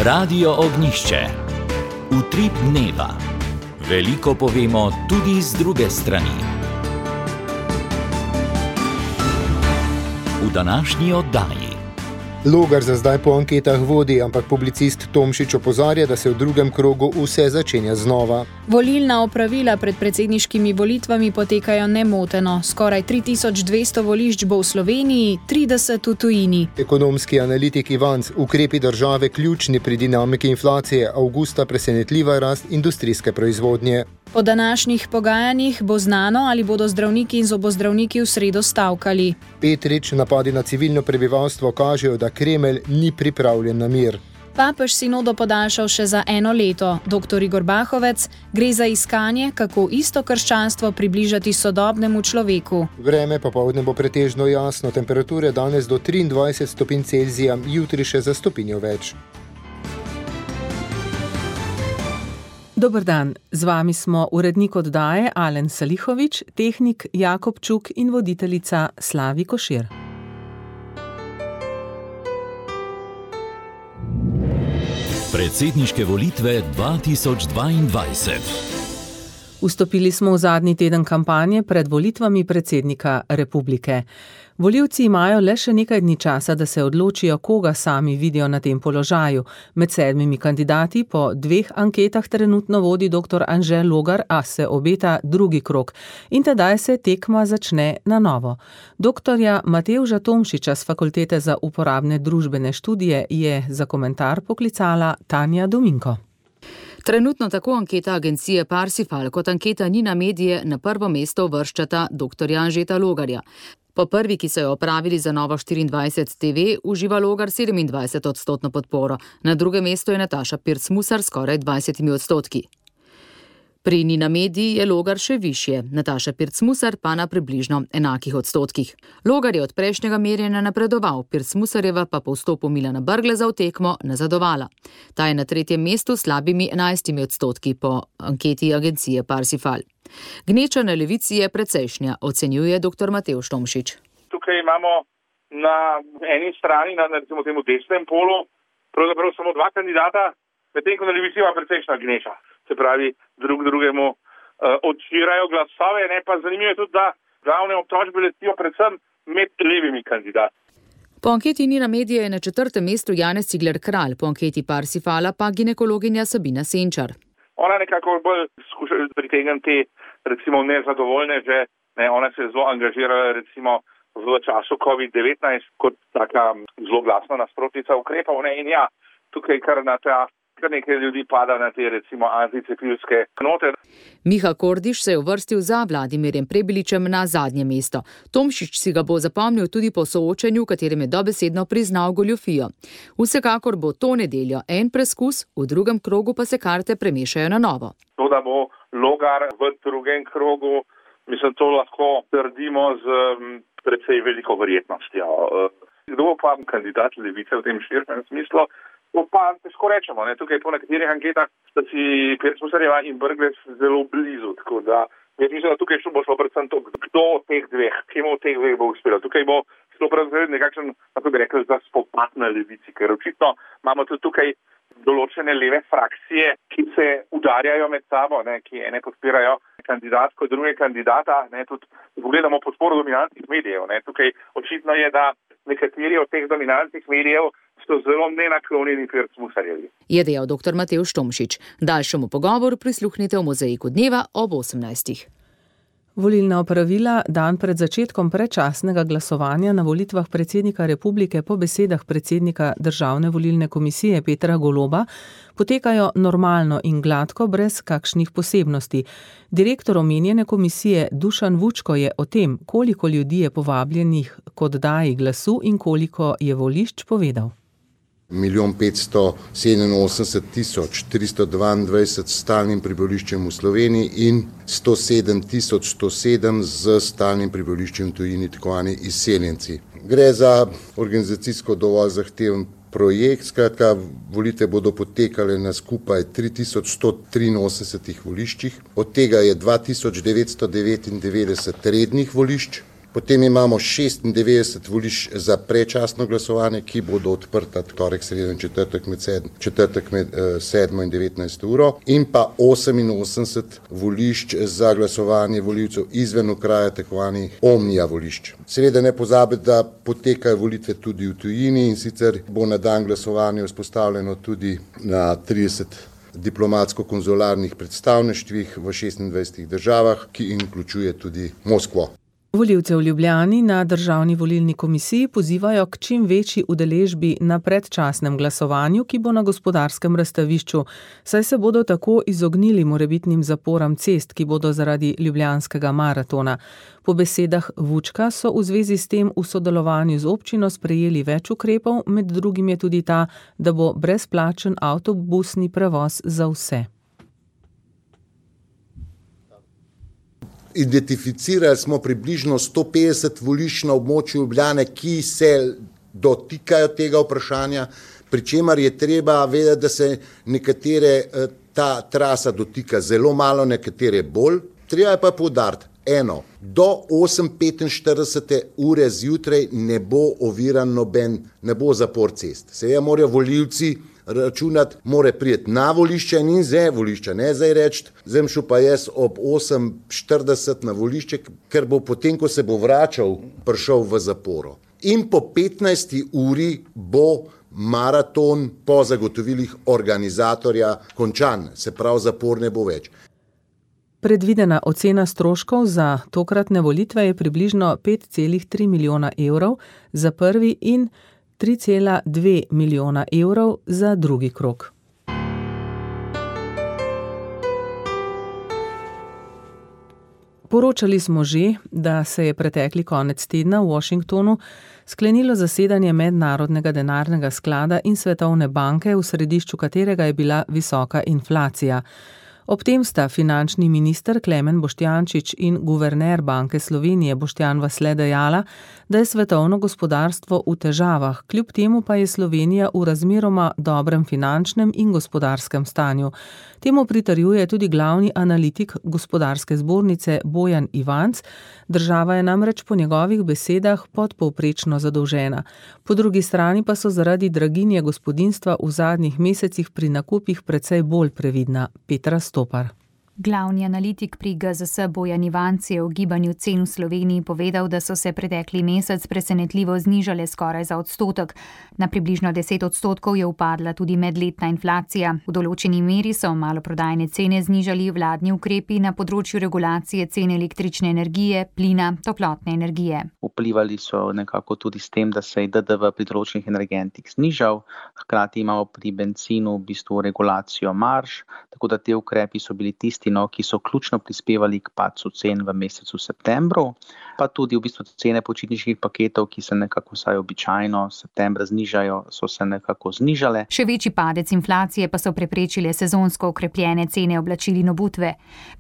Radio Ognišče. Utrip dneva. Veliko povemo tudi z druge strani. V današnji oddaji. Logar za zdaj po anketah vodi, ampak publicist Tomšič opozarja, da se v drugem krogu vse začenja znova. Volilna opravila pred predsedniškimi volitvami potekajo nemoteno. Skoraj 3200 volišč bo v Sloveniji, 30 v tujini. Ekonomski analitik Ivanc, ukrepi države ključni pri dinamiki inflacije, avgusta presenetljiva rast industrijske proizvodnje. Po današnjih pogajanjih bo znano, ali bodo zdravniki in zobozdravniki v sredo stavkali. Petrič, napadi na civilno prebivalstvo kažejo, da Kremelj ni pripravljen na mir. Papež sinodo podaljšal še za 1 leto. Dr. Igor Bahovec, gre za iskanje, kako isto krščanstvo približati sodobnemu človeku. Vreme popoldne bo pretežno jasno, temperature danes do 23 stopinj Celzija, jutri še za stopinjo več. Dober dan, z vami smo urednik oddaje Alen Salihovič, tehnik Jakob Čuk in voditeljica Slavi Košir. Predsedniške volitve 2022. Vstopili smo v zadnji teden kampanje pred volitvami predsednika republike. Volivci imajo le še nekaj dni časa, da se odločijo, koga sami vidijo na tem položaju. Med 7 kandidati po 2 anketah trenutno vodi dr. Anže Logar, a se obeta drugi krog. In tedaj se tekma začne na novo. Doktorja Matevža Tomšiča z Fakultete za uporabne družbene študije je za komentar poklicala Tanja Dominko. Trenutno tako anketa agencije Parsifal kot anketa Ninamedije na prvo mesto uvrščata dr. Anžeta Logarja. Po prvi, ki so jo opravili za Novo 24 TV, uživa Logar 27% podporo. Na drugem mestu je Nataša Pirc Musar skoraj 20%. Pri Ninamediji je Logar še višje, Nataša Pirc Musar pa na približno enakih odstotkih. Logar je od prejšnjega merjenja napredoval, Pirc Musarjeva pa po vstopu Milana Brgleza v tekmo nazadovala. Ta je na 3. mestu s slabimi 11% po anketi agencije Parsifal. Gneča na levici je precejšnja, ocenjuje dr. Matevž Tomšič. Tukaj imamo na eni strani, na recimo temu desnem polu, pravzaprav samo 2 kandidata, medtem ko na levici ima precejšnja gneča. Se pravi, drugemu odčirajo glasove, ne pa zanimivo je tudi, da glavne obtožbe letijo predvsem med levimi kandidati. Po anketi Ninamedije je na 4. mestu Janez Cigler Kralj, po anketi Parsifala pa ginekologinja Sabina Senčar. Ona nekako bolj skuša pritegniti recimo nezadovoljne, že ona se je zelo angažirala recimo v času COVID-19 kot taka zelo glasna nasprotnica ukrepov. In ja, tukaj kar nekaj ljudi pada na te recimo anticepilske note. Miha Kordiš se je uvrstil za Vladimirjem Prebiličem na zadnje mesto. Tomšič si ga bo zapomnil tudi po soočenju, v katerem je dobesedno priznal goljufijo. Vsekakor bo to nedeljo en preskus, v drugem krogu pa se karte premešajo na novo. To, da bo Logar v drugem krogu, mislim, to lahko trdimo z precej veliko verjetnostjo. Kdo bo pa kandidat levice v tem širšem smislu? To pa težko rečemo. Tukaj po nekaterih anketah sta si Pirc Musarjeva in Brglez zelo blizu. Tako da jaz mislim, da tukaj bo šlo predvsem to, kdo od teh dveh, kemu od teh dveh bo uspelo. Tukaj bo šlo predvsem nekakšen, kako bi rekel, za spopad na levici, ker očitno imamo tudi tukaj določene leve frakcije, ki se udarjajo med sabo, ki ene podpirajo kandidatko, druge kandidata. Tudi pogledamo podporo dominantnih medijev. Tukaj očitno je, da nekateri od teh dominantnih medijev so zelo nenaklonjeni Pirc Musarjevi. Je dejal dr. Matevž Tomšič. Daljšemu pogovoru prisluhnite v Mozaiku dneva ob 18. Volilna opravila dan pred začetkom predčasnega glasovanja na volitvah predsednika republike po besedah predsednika Državne volilne komisije Petra Goloba potekajo normalno in gladko, brez kakšnih posebnosti. Direktor omenjene komisije Dušan Vučko je o tem, koliko ljudi je povabljenih k oddaji glasu in koliko je volišč, povedal. 1 587 322 s stalnim prebivališčem v Sloveniji in 107 107 z stalnim prebivališčem v tujini, tako zvani izseljenci. Gre za organizacijsko dovolj zahteven projekt, skratka, volitve bodo potekale na skupaj 3183 voliščih, od tega je 2999 rednih volišč, Potem imamo 96 volišč za predčasno glasovanje, ki bodo odprta torek, sredo in četrtek med 7 in 19 uro in pa 88 volišč za glasovanje volivcev izven okraja, tako zvani omnija volišč. Seveda ne pozabiti, da potekajo volitve tudi v tujini in sicer bo na dan glasovanja vzpostavljeno tudi na 30 diplomatsko-konzularnih predstavništvih v 26 državah, ki vključuje tudi Moskvo. Volivce v Ljubljani na Državni volilni komisiji pozivajo k čim večji udeležbi na predčasnem glasovanju, ki bo na Gospodarskem razstavišču, saj se bodo tako izognili morebitnim zaporam cest, ki bodo zaradi ljubljanskega maratona. Po besedah Vučka so v zvezi s tem v sodelovanju z občino sprejeli več ukrepov, med drugim je tudi ta, da bo brezplačen avtobusni prevoz za vse. Identificirali smo približno 150 volišč na območju Ljubljane, ki se dotikajo tega vprašanja, pri čemer je treba vedeti, da se nekatere ta trasa dotika zelo malo, nekatere bolj. Treba je pa poudariti, do 8:45 ure zjutraj ne bo oviran ne bo zapor cest. Seveda morajo volivci računati, mora priti na volišče in z volišča, ne zdaj reči, zdaj šel pa jaz ob 8:40 na volišče, ker bo potem, ko se bo vračal, prišel v zaporo. In po 15. uri bo maraton po zagotovilih organizatorja končan, se pravi zapor ne bo več. Predvidena ocena stroškov za tokratne volitve je približno 5,3 milijona evrov za prvi in 3,2 milijona evrov za drugi krog. Poročali smo že, da se je pretekli konec tedna v Washingtonu sklenilo zasedanje Mednarodnega denarnega sklada in Svetovne banke, v središču katerega je bila visoka inflacija. Ob tem sta finančni minister Klemen Boštjančič in guverner Banke Slovenije Boštjan Vasle dejala, da je svetovno gospodarstvo v težavah, kljub temu pa je Slovenija v razmeroma dobrem finančnem in gospodarskem stanju. Temu pritrjuje tudi glavni analitik Gospodarske zbornice Bojan Ivanc. Država je namreč po njegovih besedah podpovprečno zadolžena. Po drugi strani pa so zaradi draginje gospodinjstva v zadnjih mesecih pri nakupih precej bolj previdna. Petra Stopar. Glavni analitik pri GZS Bojan Ivanc je o gibanju cen v Sloveniji povedal, da so se pretekli mesec presenetljivo znižale skoraj za odstotek. Na približno 10% je upadla tudi medletna inflacija. V določeni meri so maloprodajne cene znižali vladni ukrepi na področju regulacije cen električne energije, plina, toplotne energije. Vplivali so nekako tudi s tem, da se je DDV pri določenih energentih znižal, hkrati imamo pri benzinu v bistvu regulacijo marž, tako da te ukrepi so bili tisti, ki so ključno prispevali k padcu cen v mesecu septembru, pa tudi v bistvu cene počitniških paketov, ki se nekako vsaj običajno septembra znižajo, so se nekako znižale. Še večji padec inflacije pa so preprečile sezonsko okrepljene cene oblačil in obutve.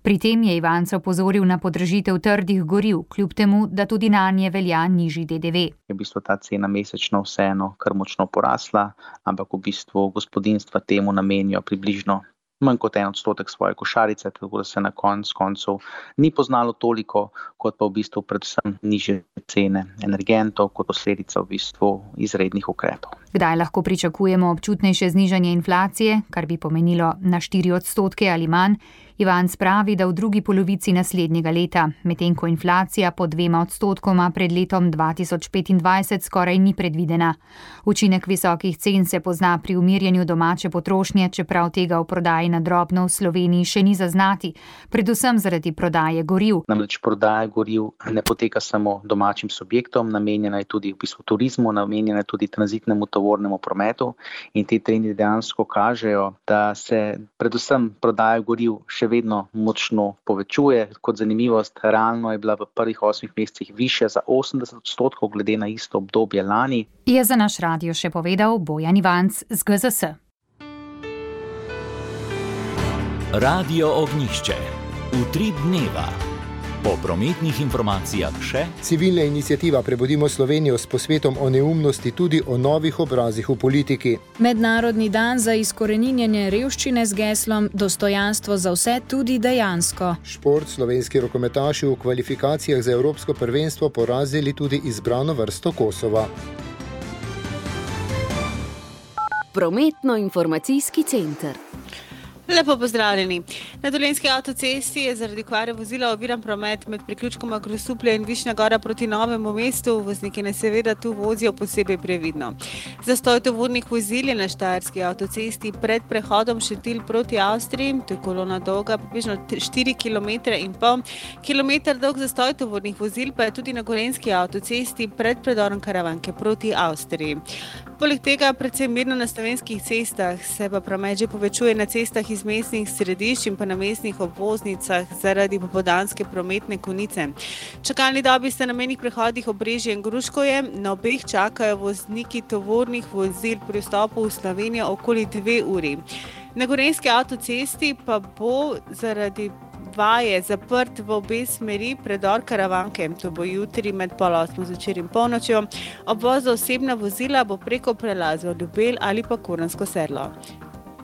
Pri tem je Ivanc opozoril na podražitev trdih goriv, kljub temu, da tudi nanje velja nižji DDV. Je v bistvu ta cena mesečno vseeno kar močno porasla, ampak v bistvu gospodinjstva temu namenijo približno manj kot 1% svoje košarice, tako da se na koncu ni poznalo toliko, kot pa v bistvu predvsem nižje cene energentov, kot posledica v bistvu izrednih ukrepov. Kdaj lahko pričakujemo občutnejše znižanje inflacije, kar bi pomenilo na 4% ali manj? Ivanc pravi, da v drugi polovici naslednjega leta, medtem ko inflacija po 2% pred letom 2025 skoraj ni predvidena. Učinek visokih cen se pozna pri umirjanju domače potrošnje, čeprav tega v prodaji na drobno v Sloveniji še ni zaznati, predvsem zaradi prodaje goriv. Namreč prodaja goriv ne poteka samo domačim subjektom, namenjena je tudi v bistvu turizmu, namenjena je tudi tranzitnemu tovornemu prometu in ti trendi dejansko kažejo, da se predvsem prodaja goriv še vedno močno povečuje. Kot zanimivost, realno je bila v prvih 8 mesecih višja za 80% glede na isto obdobje lani. Je za naš radio še povedal Bojan Ivanc z GZS. Radio Ognjišče. Utrip dneva. Po prometnih informacijah še civilna iniciativa Prebudimo Slovenijo s posvetom o neumnosti tudi o novih obrazih v politiki. Mednarodni dan za izkoreninjenje revščine z geslom Dostojanstvo za vse tudi dejansko. Šport, slovenski rokometaši v kvalifikacijah za evropsko prvenstvo porazili tudi izbrano vrsto Kosova. Prometno-informacijski center. Lepo pozdravljeni. Na Dolenjski avtocesti je zaradi kvare vozila oviran promet med priključkoma Grosuplje in Višnja Gora proti Novemu mestu. Vozniki naj seveda tu vozijo posebej previdno. Zastoj tovornih vozil je na Štajerski avtocesti pred prehodom Šentilj proti Avstriji. To je kolona dolga približno 4,5 km. Kilometer dolg zastoj tovornih vozil pa je tudi na Gorenjski avtocesti pred predorom Karavanke proti Avstriji. Poleg tega predvsem mirno na slovenskih cestah, se pa promet že povečuje na cestah iz mestnih središč in pa na mestnih obvoznicah zaradi popoldanske prometne konice. Čakalni dobi sta na mejnih prehodih Obrežje in Gruškovje, na obeh čakajo vozniki tovornih vozil pri vstopu v Slovenijo okoli 2 uri. Na Gorenjski avtocesti pa bo zaradi vaje zaprt v obe smeri predor Karavanke. To bo jutri med 7:30 zvečer in polnočjo. Obvoz za osebna vozila bo preko prelazov Ljubelj ali pa Kuransko sedlo.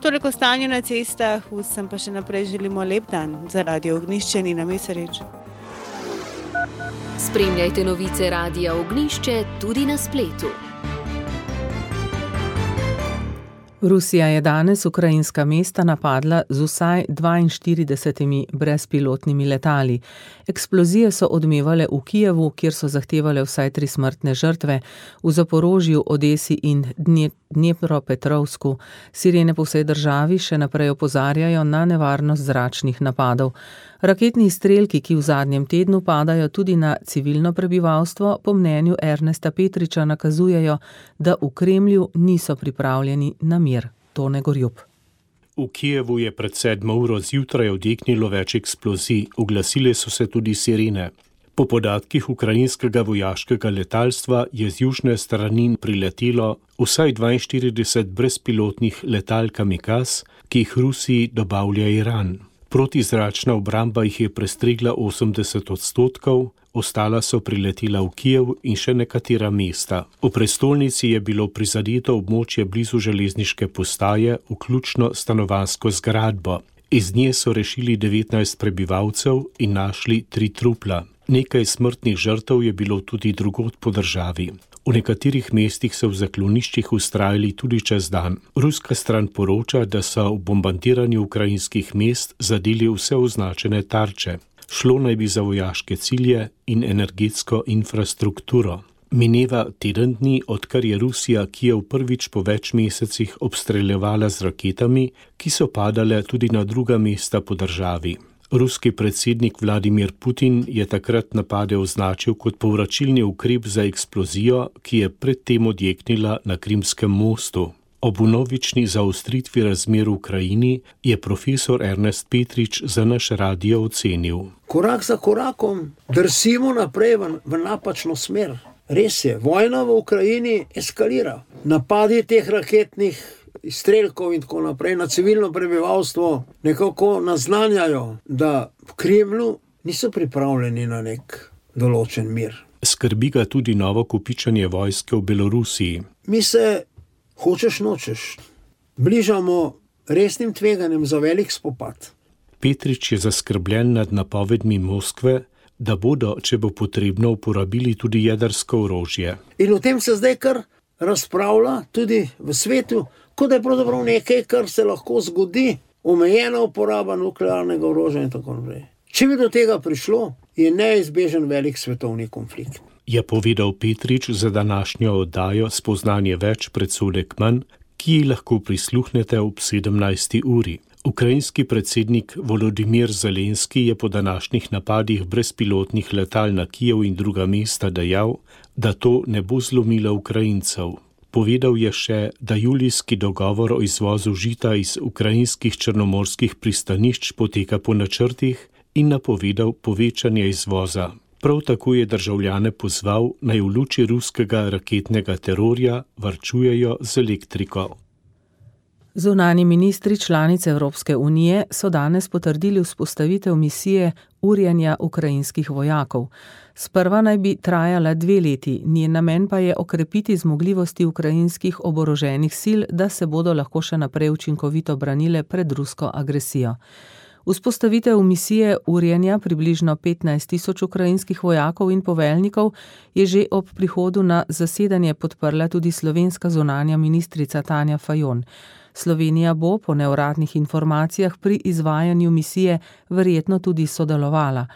Toliko o stanju na cestah, vsem pa še naprej želimo lep dan. Za Radio Ognjišče Nina Mesarič. Spremljajte novice Radia Ognjišče tudi na spletu. Rusija je danes ukrajinska mesta napadla z vsaj 42 brezpilotnimi letali. Eksplozije so odmevale v Kijevu, kjer so zahtevale vsaj 3 smrtne žrtve, v Zaporožju, Odesi in Dnepropetrovsku. Sirene po vsej državi še naprej opozarjajo na nevarnost zračnih napadov. Raketni izstrelki, ki v zadnjem tednu padajo tudi na civilno prebivalstvo, po mnenju Ernesta Petriča nakazujejo, da v Kremlju niso pripravljeni na mir. Tone Gorjup. V Kijevu je pred 7 uro zjutraj odjeknilo več eksplozij, oglasile so se tudi sirene. Po podatkih ukrajinskega vojaškega letalstva je z južne strani priletelo vsaj 42 brezpilotnih letal Kamikaz, ki jih Rusiji dobavlja Iran. Protizračna obramba jih je prestregla 80%, ostala so priletela v Kijev in še nekatera mesta. V prestolnici je bilo prizadeto območje blizu železniške postaje, vključno stanovanjsko zgradbo. Iz nje so rešili 19 prebivalcev in našli 3 trupla. Nekaj smrtnih žrtev je bilo tudi drugod po državi. V nekaterih mestih so v zakloniščih vztrajali tudi čez dan. Ruska stran poroča, da so v bombardiranju ukrajinskih mest zadeli vse označene tarče. Šlo naj bi za vojaške cilje in energetsko infrastrukturo. Mineva teden dni, odkar je Rusija Kijev prvič po več mesecih obstreljevala z raketami, ki so padale tudi na druga mesta po državi. Ruski predsednik Vladimir Putin je takrat napade označil kot povračilni ukrep za eksplozijo, ki je predtem odjeknila na Krimskem mostu. Ob vnovični zaostritvi razmer v Ukrajini je profesor Ernest Petrič za naš radio ocenil. Korak za korakom drsimo naprej v napačno smer. Res je, vojna v Ukrajini eskalira. Napadi teh raketnih izstrelkov in tako naprej na civilno prebivalstvo nekako naznanjajo, da v Kremlju niso pripravljeni na nek določen mir. Skrbi ga tudi novo kopičenje vojske v Belorusiji. Mi se, hočeš nočeš, bližamo resnim tveganjem za velik spopad. Petrič je zaskrbljen nad napovedmi Moskve, da bodo, če bo potrebno, uporabili tudi jedrsko orožje. In o tem se zdaj kar razpravlja tudi v svetu, kot da je pravzaprav nekaj, kar se lahko zgodi, omejena uporaba nuklearnega orožja in tako naprej. Če bi do tega prišlo, je neizbežen velik svetovni konflikt. Je povedal Petrič za današnjo oddajo Spoznanje več predsodek manj, ki ji lahko prisluhnete ob 17. uri. Ukrajinski predsednik Volodimir Zelenski je po današnjih napadih brezpilotnih letal na Kijev in druga mesta dejal, da to ne bo zlomilo Ukrajincev. Povedal je še, da julijski dogovor o izvozu žita iz ukrajinskih črnomorskih pristanišč poteka po načrtih in napovedal povečanje izvoza. Prav tako je državljane pozval, naj v luči ruskega raketnega terorja varčujejo z elektriko. Zunanji ministri članic Evropske unije so danes potrdili vzpostavitev misije urjenja ukrajinskih vojakov. Sprva naj bi trajala 2 leti, njen namen pa je okrepiti zmogljivosti ukrajinskih oboroženih sil, da se bodo lahko še naprej učinkovito branile pred rusko agresijo. Vzpostavitev misije urjenja približno 15.000 ukrajinskih vojakov in poveljnikov je že ob prihodu na zasedanje podprla tudi slovenska zunanja ministrica Tanja Fajon. Slovenija bo po neuradnih informacijah pri izvajanju misije verjetno tudi sodelovala.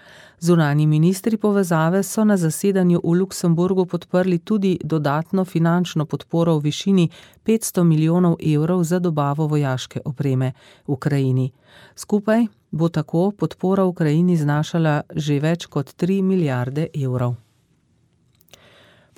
Zunanji ministri povezave so na zasedanju v Luksemburgu podprli tudi dodatno finančno podporo v višini 500 milijonov evrov za dobavo vojaške opreme Ukrajini. Skupaj bo tako podpora Ukrajini znašala že več kot 3 milijarde evrov.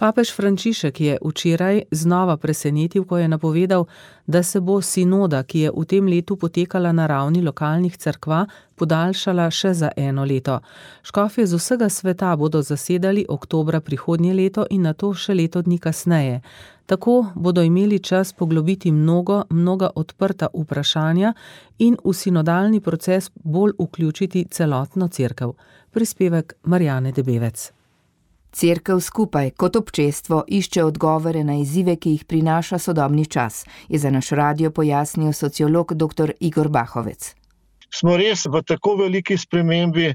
Papež Frančišek je včeraj znova presenetil, ko je napovedal, da se bo sinoda, ki je v tem letu potekala na ravni lokalnih cerkva, podaljšala še za 1 leto. Škofje z vsega sveta bodo zasedali oktobra prihodnje leto in nato še leto dni kasneje. Tako bodo imeli čas poglobiti mnoga odprta vprašanja in v sinodalni proces bolj vključiti celotno cerkev. Prispevek Marjane Debevec. Cerkev skupaj kot občestvo išče odgovore na izzive, ki jih prinaša sodobni čas, je za naš radio pojasnil sociolog dr. Igor Bahovec. Smo res v tako veliki spremembi,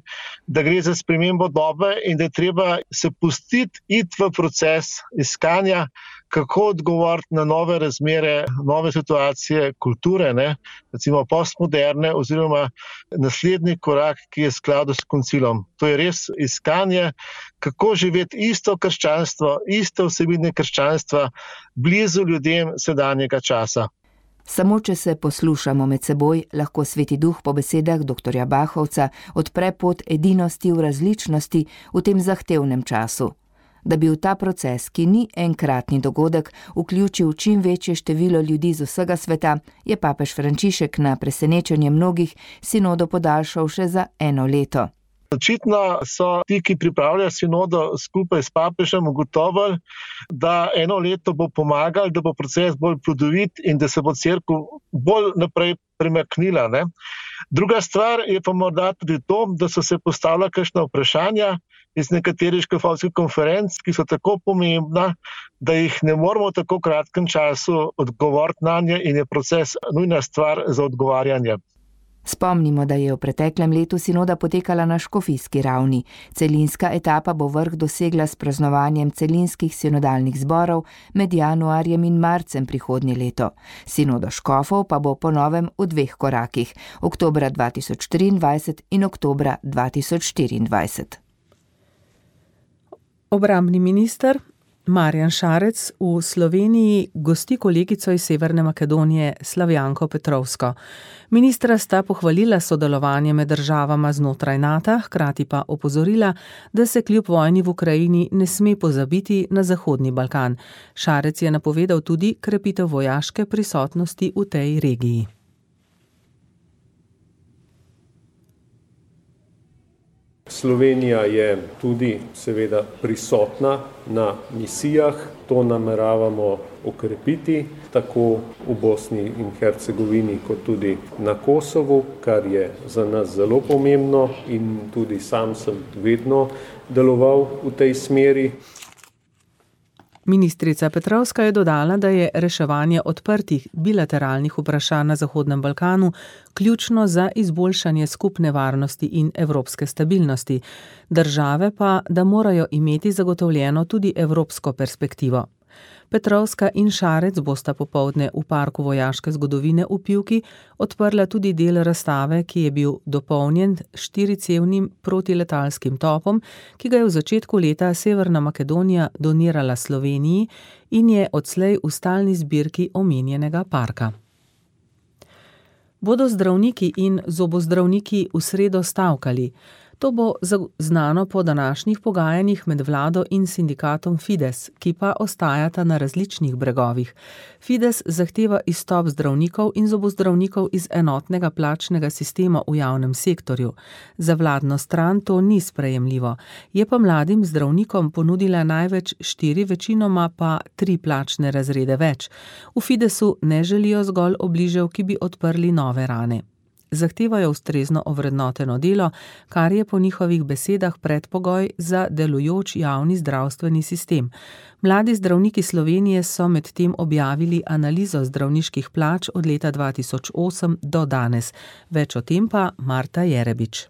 da gre za spremembo dobe in da je treba se pustiti iti v proces iskanja, kako odgovoriti na nove razmere, nove situacije kulture, recimo postmoderne oziroma naslednji korak, ki je v skladu s koncilom. To je res iskanje, kako živeti isto krščanstvo, iste vsebine krščanstva blizu ljudem sedanjega časa. Samo če se poslušamo med seboj, lahko Sveti Duh po besedah dr. Bahovca odpre pot edinosti v različnosti v tem zahtevnem času. Da bi v ta proces, ki ni enkratni dogodek, vključil čim večje število ljudi z vsega sveta, je papež Frančišek na presenečenje mnogih sinodo podaljšal še za 1 leto. Očitno so ti, ki pripravljajo sinodo skupaj s papežem, ugotovili, da 1 leto bo pomagal, da bo proces bolj plodovit in da se bo cerkev bolj naprej premaknila. Druga stvar je pa morda tudi to, da so se postavila kakšna vprašanja iz nekaterih škofovskih konferenc, ki so tako pomembna, da jih ne moramo v tako kratkem času odgovoriti nanje in je proces nujna stvar za odgovarjanje. Spomnimo, da je v preteklem letu sinoda potekala na škofijski ravni. Celinska etapa bo vrh dosegla s praznovanjem celinskih sinodalnih zborov med januarjem in marcem prihodnje leto. Sinoda škofov pa bo po novem v 2 korakih, oktobra 2023 in oktobra 2024. Obrambni minister Marjan Šarec v Sloveniji gosti kolegico iz Severne Makedonije Slavjanko Petrovsko. Ministra sta pohvalila sodelovanje med državama znotraj NATO, hkrati pa opozorila, da se kljub vojni v Ukrajini ne sme pozabiti na Zahodni Balkan. Šarec je napovedal tudi krepitev vojaške prisotnosti v tej regiji. Slovenija je tudi seveda prisotna na misijah, to nameravamo okrepiti tako v Bosni in Hercegovini kot tudi na Kosovu, kar je za nas zelo pomembno in tudi sam sem vedno deloval v tej smeri. Ministrica Petrovska je dodala, da je reševanje odprtih bilateralnih vprašanj na Zahodnem Balkanu ključno za izboljšanje skupne varnosti in evropske stabilnosti. Države pa, da morajo imeti zagotovljeno tudi evropsko perspektivo. Petrovska in Šarec bosta popoldne v Parku vojaške zgodovine v Pivki odprla tudi del razstave, ki je bil dopolnjen 4-cevnim protiletalskim topom, ki ga je v začetku leta Severna Makedonija donirala Sloveniji in je odslej v stalni zbirki omenjenega parka. Bodo zdravniki in zobozdravniki v sredo stavkali. To bo znano po današnjih pogajanjih med vlado in sindikatom Fides, ki pa ostajata na različnih bregovih. Fides zahteva izstop zdravnikov in zobozdravnikov iz enotnega plačnega sistema v javnem sektorju. Za vladno stran to ni sprejemljivo. Je pa mladim zdravnikom ponudila največ 4, večinoma pa 3 plačne razrede več. V Fidesu ne želijo zgolj obližev, ki bi odprli nove rane. Zahtevajo ustrezno ovrednoteno delo, kar je po njihovih besedah predpogoj za delujoč javni zdravstveni sistem. Mladi zdravniki Slovenije so medtem objavili analizo zdravniških plač od leta 2008 do danes. Več o tem pa Marta Jerebič.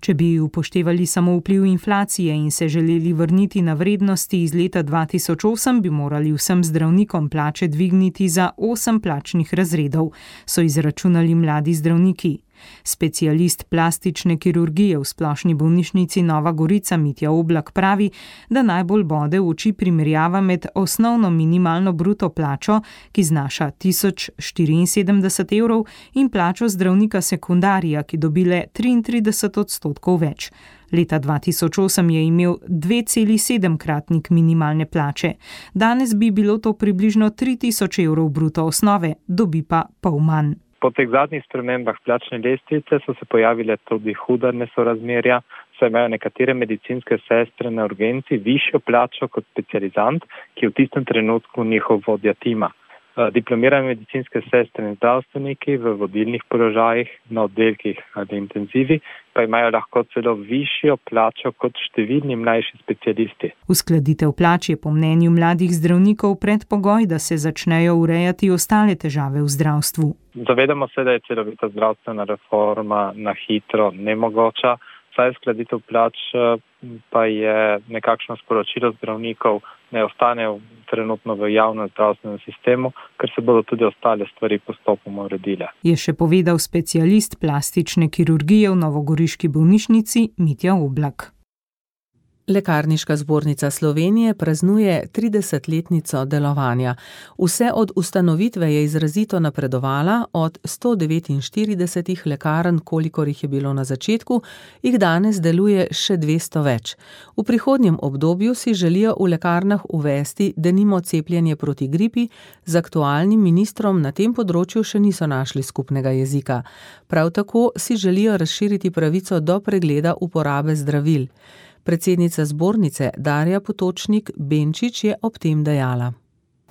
Če bi upoštevali samo vpliv inflacije in se želeli vrniti na vrednosti iz leta 2008, bi morali vsem zdravnikom plače dvigniti za 8 plačnih razredov, so izračunali mladi zdravniki. Specialist plastične kirurgije v splošni bolnišnici Nova Gorica Mitja Oblak pravi, da najbolj bode v oči primerjava med osnovno minimalno bruto plačo, ki znaša 1074 evrov, in plačo zdravnika sekundarija, ki dobile 33% več. Leta 2008 je imel 2,7-kratnik minimalne plače. Danes bi bilo to približno 3000 evrov bruto osnove, dobi pa pol manj. Po teh zadnjih spremembah plačne lestvice so se pojavile tudi huda nesorazmerja, saj imajo nekatere medicinske sestre na urgenci višjo plačo kot specializant, ki je v tistem trenutku njihov vodja tima. Diplomirane medicinske sestre in zdravstveniki v vodilnih položajih na oddelkih ali intenzivi pa imajo lahko celo višjo plačo kot številni mlajši specialisti. Uskladitev plač je po mnenju mladih zdravnikov predpogoj, da se začnejo urejati ostale težave v zdravstvu. Zavedamo se, da je celovita zdravstvena reforma na hitro nemogoča, saj uskladitev plač pa je nekakšno sporočilo zdravnikov, ne ostanejo trenutno v javnem zdravstvenem sistemu, ker se bodo tudi ostale stvari postopoma uredile. Je še povedal specialist plastične kirurgije v novogoriški bolnišnici Mitja Oblak. Lekarniška zbornica Slovenije praznuje 30-letnico delovanja. Vse od ustanovitve je izrazito napredovala, od 149 lekarn, kolikor jih je bilo na začetku, jih danes deluje še 200 več. V prihodnjem obdobju si želijo v lekarnah uvesti denimo cepljenje proti gripi, z aktualnim ministrom na tem področju še niso našli skupnega jezika. Prav tako si želijo razširiti pravico do pregleda uporabe zdravil. Predsednica zbornice Darja Potočnik-Benčič je ob tem dejala.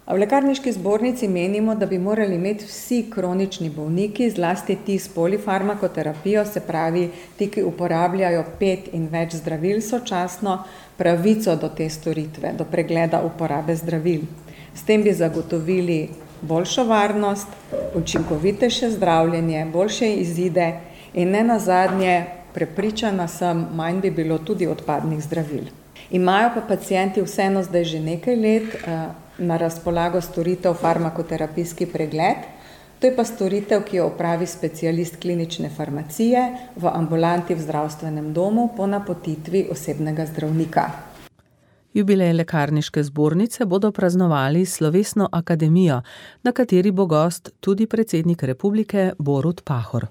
V lekarniški zbornici menimo, da bi morali imeti vsi kronični bolniki, zlasti ti s polifarmakoterapijo, se pravi ti, ki uporabljajo 5 in več zdravil sočasno, pravico do te storitve, do pregleda uporabe zdravil. S tem bi zagotovili boljšo varnost, učinkovitejše zdravljenje, boljše izide in ne nazadnje, prepričana sem, manj bi bilo tudi odpadnih zdravil. Imajo pa pacienti vseeno zdaj že nekaj let na razpolago storitev farmakoterapijski pregled. To je pa storitev, ki jo opravi specialist klinične farmacije v ambulanti v zdravstvenem domu po napotitvi osebnega zdravnika. Jubilej lekarniške zbornice bodo praznovali s slovesno akademijo, na kateri bo gost tudi predsednik republike Borut Pahor.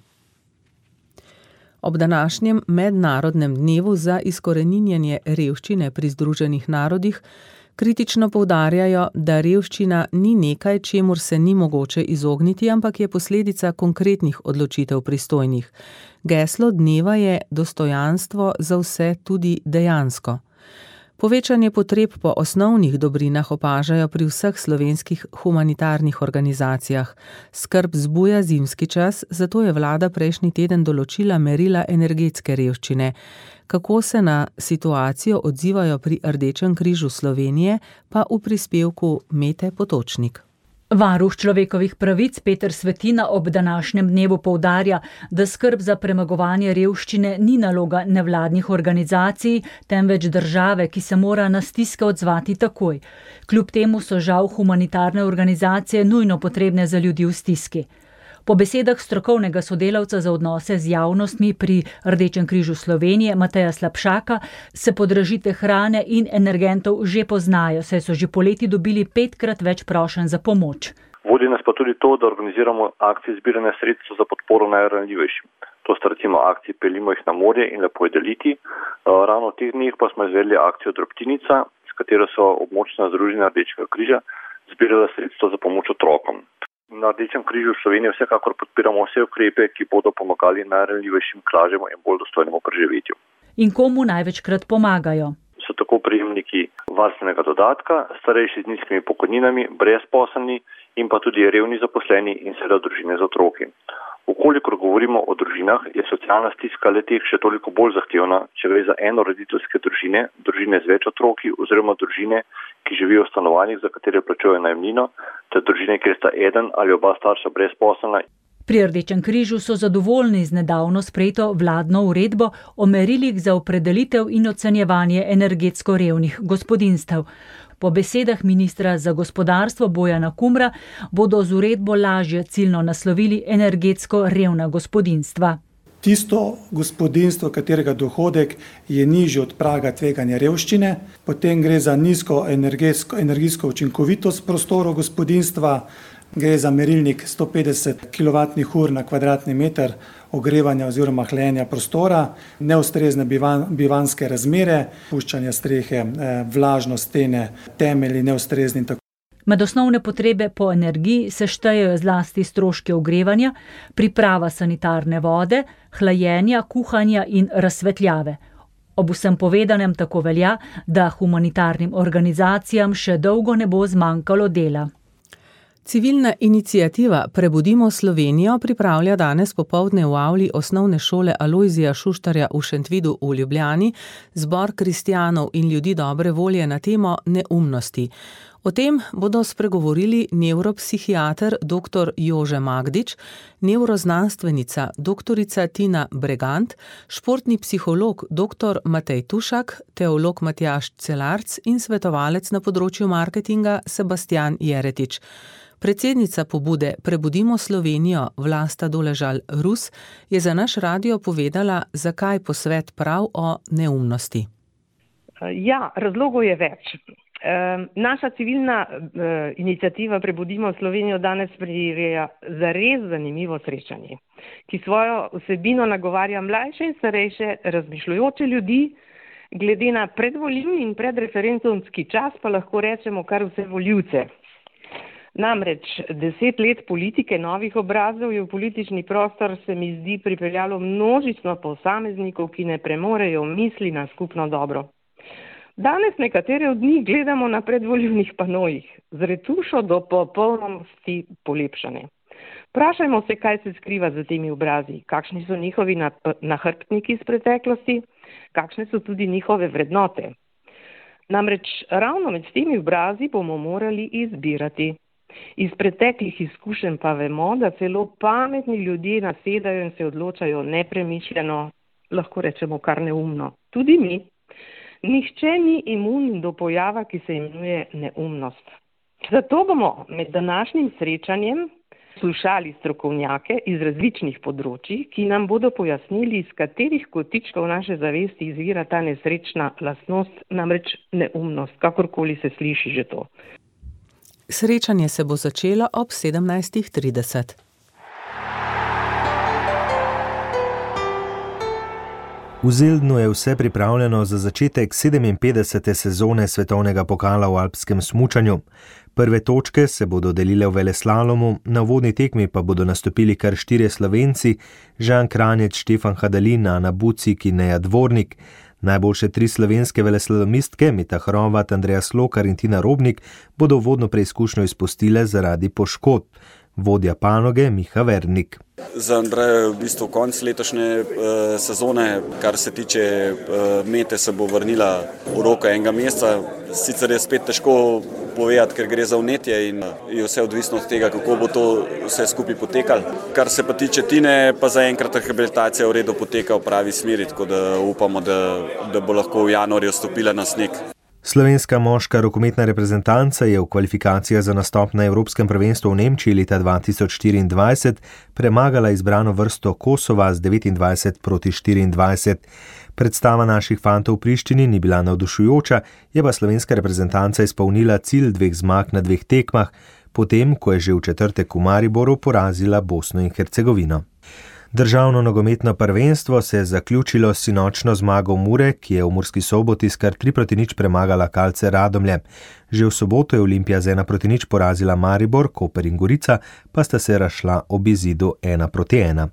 Ob današnjem mednarodnem dnevu za izkoreninjenje revščine pri Združenih narodih kritično poudarjajo, da revščina ni nekaj, čemur se ni mogoče izogniti, ampak je posledica konkretnih odločitev pristojnih. Geslo dneva je dostojanstvo za vse tudi dejansko. Povečanje potreb po osnovnih dobrinah opažajo pri vseh slovenskih humanitarnih organizacijah. Skrb zbuja zimski čas, zato je vlada prejšnji teden določila merila energetske revščine. Kako se na situacijo odzivajo pri Rdečem križu Slovenije, pa v prispevku Mete Potočnik. Varuh človekovih pravic Peter Svetina ob današnjem dnevu poudarja, da skrb za premagovanje revščine ni naloga nevladnih organizacij, temveč države, ki se mora na stiske odzvati takoj. Kljub temu so žal humanitarne organizacije nujno potrebne za ljudi v stiski. Po besedah strokovnega sodelavca za odnose z javnostmi pri Rdečem križu Slovenije Mateja Slapšaka se podražitve hrane in energentov že poznajo, saj so že poleti dobili 5-krat več prošenj za pomoč. Vodi nas pa tudi to, da organiziramo akcije zbiranja sredstev za podporo najranljivejšim. To To sta recimo akciji Peljimo jih na morje in Lepo je deliti. Ravno v teh dneh pa smo izvedli akcijo Drobtinica, s katero so območna združenja Rdečega križa zbirala sredstva za pomoč otrokom. Na Rdečem križu v Sloveniji vsekakor podpiramo vse ukrepe, ki bodo pomagali najranljivejšim k lažjemu in bolj dostojnemu preživetju. In komu največkrat pomagajo? So tako prejemniki varstvenega dodatka, starejši z nizkimi pokojninami, brezposelni in pa tudi revni zaposleni in seveda družine z otroki. Ukolikor govorimo o družinah, je socialna stiska le-teh še toliko bolj zahtevna, če gre za enoroditeljske družine, družine z več otroki oziroma družine, ki živijo v stanovanjih, za katere plačujejo najemnino, ter družine, kjer sta eden ali oba starša brezposelna. Pri Rdečem križu so zadovoljni z nedavno sprejeto vladno uredbo o merilih za opredelitev in ocenjevanje energetsko revnih gospodinjstev. Po besedah ministra za gospodarstvo Bojana Kumra bodo z uredbo lažje ciljno naslovili energetsko revna gospodinjstva. Tisto gospodinjstvo, katerega dohodek je nižji od praga tveganja revščine, potem gre za nizko energijsko učinkovitost prostorov gospodinjstva, gre za merilnik 150 kWh na kvadratni meter ogrevanja oziroma hlajenja prostora, neustrezne bivanjske razmere, puščanje strehe, vlažnost stene, temelji neustrezni. Med osnovne potrebe po energiji se štejejo zlasti stroške ogrevanja, priprava sanitarne vode, hlajenja, kuhanja in razsvetljave. Ob vsem povedanem tako velja, da humanitarnim organizacijam še dolgo ne bo zmanjkalo dela. Civilna iniciativa Prebudimo Slovenijo pripravlja danes popoldne v avli osnovne šole Alojzija Šuštarja v Šentvidu v Ljubljani zbor kristjanov in ljudi dobre volje na temo neumnosti. O tem bodo spregovorili nevropsihiater dr. Jože Magdič, nevroznanstvenica dr. Tina Bregant, športni psiholog dr. Matej Tušak, teolog Matjaž Celarc in svetovalec na področju marketinga Sebastian Jeretič. Predsednica pobude Prebudimo Slovenijo Vlasta Doležal-Rus je za naš radio povedala, zakaj posvet prav o neumnosti. Ja, razlogov je več. Naša civilna iniciativa Prebudimo Slovenijo danes prireja zares zanimivo srečanje, ki svojo vsebino nagovarja mlajše in starejše razmišljujoče ljudi, glede na predvolilni in predreferendumski čas pa lahko rečemo kar vse volivce. Namreč 10 let politike novih obrazov je v politični prostor, se mi zdi, pripeljalo množično posameznikov, ki ne premorejo misli na skupno dobro. Danes nekatere od njih gledamo na predvolilnih panojih, z retušo do popolnosti polepšane. Vprašajmo se, kaj se skriva za temi obrazi, kakšni so njihovi nahrbtniki iz preteklosti, kakšne so tudi njihove vrednote. Namreč ravno med temi obrazi bomo morali izbirati. Iz preteklih izkušenj pa vemo, da celo pametni ljudje nasedajo in se odločajo nepremišljeno, lahko rečemo kar neumno. Tudi mi. Nihče ni imun do pojava, ki se imenuje neumnost. Zato bomo med današnjim srečanjem slušali strokovnjake iz različnih področij, ki nam bodo pojasnili, iz katerih kotičkov naše zavesti izvira ta nesrečna lastnost, namreč neumnost, kakorkoli se sliši že to. Srečanje se bo začelo ob 17:30. V Zeldnu je vse pripravljeno za začetek 57. sezone svetovnega pokala v alpskem smučanju. Prve točke se bodo delile v veleslalomu, na uvodni tekmi pa bodo nastopili kar 4 Slovenci, Žan Kranjec, Štefan Hadalin, Ana Bucik in Neja Dvornik. Najboljše 3 slovenske veleslalomistke, Mita Hrovat, Andreja Slokar in Tina Robnik, bodo uvodno preizkušnjo izpustile zaradi poškodb. Vodja panoge Miha Vernik. Za Andreja je v bistvu konc letošnje sezone, kar se tiče Mete, se bo vrnila v roko enega meseca. Sicer je spet težko povedati, ker gre za vnetje in je vse odvisno od tega, kako bo to vse skupaj potekalo. Kar se pa tiče Tine, pa zaenkrat rehabilitacija v redu poteka v pravi smeri, tako da upamo, da bo lahko v januarju stopila na sneg. Slovenska moška rokometna reprezentanca je v kvalifikacijah za nastop na Evropskem prvenstvu v Nemčiji leta 2024 premagala izbrano vrsto Kosova z 29-24. Predstava naših fantov v Prištini ni bila navdušujoča, je pa slovenska reprezentanca izpolnila cilj 2 zmag na 2 tekmah, potem ko je že v četrtek v Mariboru porazila Bosno in Hercegovino. Državno nogometno prvenstvo se je zaključilo s sinočno zmago Mure, ki je v Murski Soboti s kar 3-0 premagala Kalce Radomlje. Že v soboto je Olimpija z 1-0 porazila Maribor, Koper in Gorica pa sta se razšla ob izidu 1-1.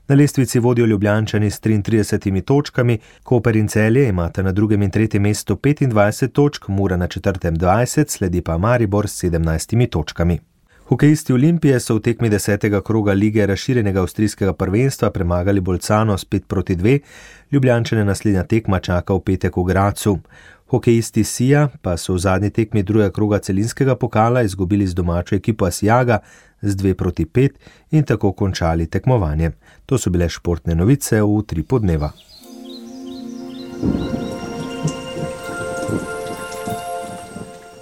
Na lestvici vodijo Ljubljančani s 33 točkami, Koper in Celje imata na drugem in tretjem mestu 25 točk, Mura na četrtem 20, sledi pa Maribor s 17 točkami. Hokejisti Olimpije so v tekmi 10. kroga lige razširjenega avstrijskega prvenstva premagali Bolcano s 5-2, Ljubljančane naslednja tekma čaka v petek v Gracu. Hokejisti Sija pa so v zadnji tekmi drugega kroga celinskega pokala izgubili z domačo ekipo Asijaga z 2-5 in tako končali tekmovanje. To so bile športne novice v Utripu dneva.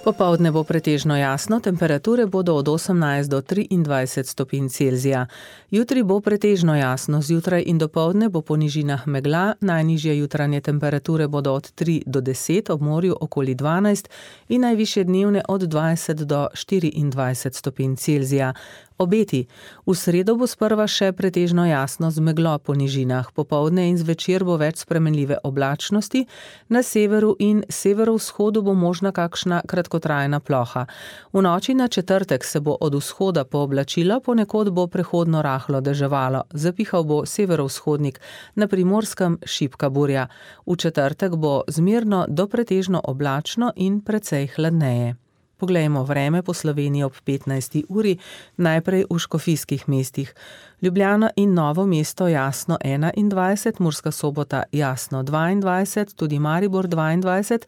Popoldne bo pretežno jasno, temperature bodo od 18 do 23 stopinj Celzija. Jutri bo pretežno jasno, zjutraj in dopoldne bo po nižinah megla, najnižje jutranje temperature bodo od 3 do 10, ob morju okoli 12 in najvišje dnevne od 20 do 24 stopinj Celzija. Obeti. V sredo bo sprva še pretežno jasno z meglo po nižinah, popoldne in zvečer bo več spremenljive oblačnosti, na severu in severovzhodu bo možna kakšna kratkotrajna ploha. V noči na četrtek se bo od vzhoda pooblačilo, ponekod bo prehodno rahlo deževalo, zapihal bo severovzhodnik, na Primorskem šibka burja. V četrtek bo zmerno do pretežno oblačno in precej hladneje. Poglejmo vreme po Sloveniji ob 15. uri, najprej v škofijskih mestih. Ljubljana in Novo mesto jasno 21, Murska Sobota jasno 22, tudi Maribor 22,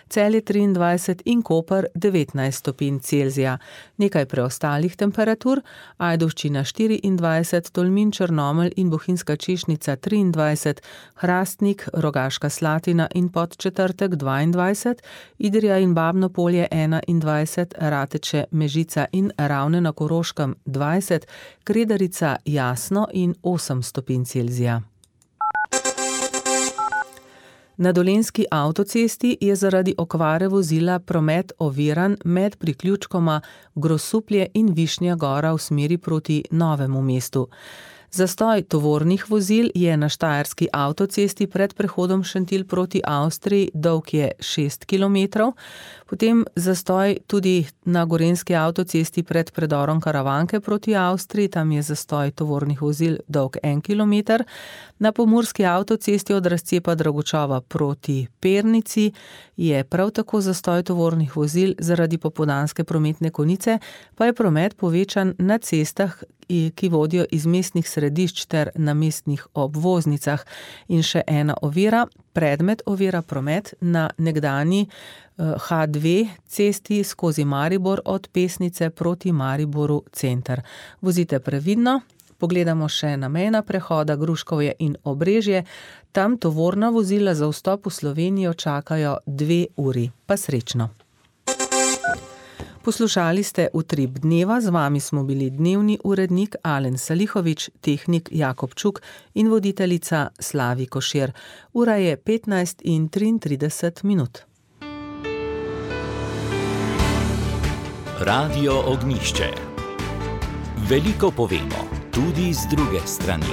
Celje 23 in Koper 19 stopinj Celzija. Nekaj preostalih temperatur, Ajdovščina 24, Tolmin, Črnomelj in Bohinjska Češnica 23, Hrastnik, Rogaška Slatina in Podčetrtek 22, Idrija in Babno Polje 21, Rateče, Mežica in Ravne na Koroškem 20, Kredarica jasno in 8 stopinj Celzija. Na Dolenjski avtocesti je zaradi okvare vozila promet oviran med priključkoma Grosuplje in Višnja Gora v smeri proti Novemu mestu. Zastoj tovornih vozil je na štajerski avtocesti pred prehodom Šentilj proti Avstriji, dolg je 6 km, potem zastoj tudi na gorenjski avtocesti pred predorom Karavanke proti Avstriji, tam je zastoj tovornih vozil dolg 1 km, na pomurski avtocesti od razcepa Dragočova proti Pernici je prav tako zastoj tovornih vozil zaradi popoldanske prometne konice, pa je promet povečan na cestah, ki vodijo iz mestnih središč ter na mestnih obvoznicah. In še ena ovira, predmet ovira promet na nekdanji H2 cesti skozi Maribor od Pesnice proti Mariboru center. Vozite previdno, pogledamo še na mejna prehoda Gruškovje in Obrežje, tam tovorna vozila za vstop v Slovenijo čakajo 2 uri. Pa srečno! Poslušali ste Utrip dneva, z vami smo bili dnevni urednik Alen Salihovič, tehnik Jakob Čuk in voditeljica Slavi Košir. Ura je 15:33. Radio Ognjišče. Veliko povemo, tudi z druge strani.